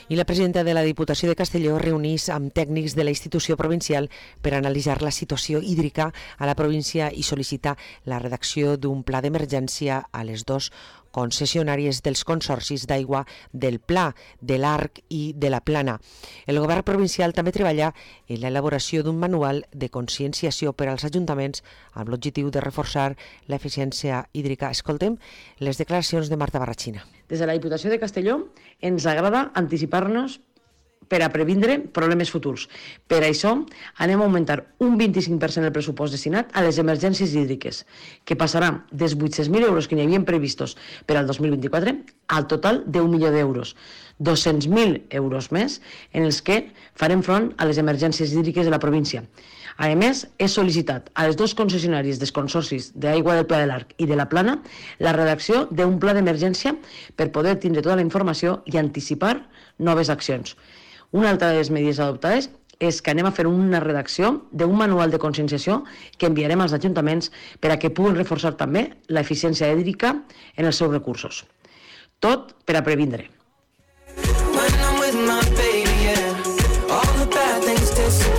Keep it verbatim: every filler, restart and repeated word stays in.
I la presidenta de la Diputació de Castelló reunís amb tècnics de la institució provincial per analitzar la situació hídrica a la província i sol·licitar la redacció d'un pla d'emergència a les dos concessionàries dels consorcis d'aigua del Pla, de l'Arc i de la Plana. El govern provincial també treballa en l'elaboració d'un manual de conscienciació per als ajuntaments amb l'objectiu de reforçar l'eficiència hídrica. Escoltem les declaracions de Marta Barrachina. Des de la Diputació de Castelló ens agrada anticipar-nos per a previndre problemes futurs. Per això anem a augmentar un vint-i-cinc per cent el pressupost destinat a les emergències hídriques, que passarà dels vuit-cents mil euros que n'hi havien previstos per al dos mil vint-i-quatre al total d'un milió d'euros, dos-cents mil euros més en els que farem front a les emergències hídriques de la província. A més, he sol·licitat a les dos concessionàries dels consorcis d'Aigua del Pla de l'Arc i de la Plana la redacció d'un pla d'emergència per poder tindre tota la informació i anticipar noves accions. Una altra de les mesures adoptades és que anem a fer una redacció d'un manual de conscienciació que enviarem als ajuntaments per a que puguin reforçar també l'eficiència hídrica en els seus recursos. Tot per a previndre.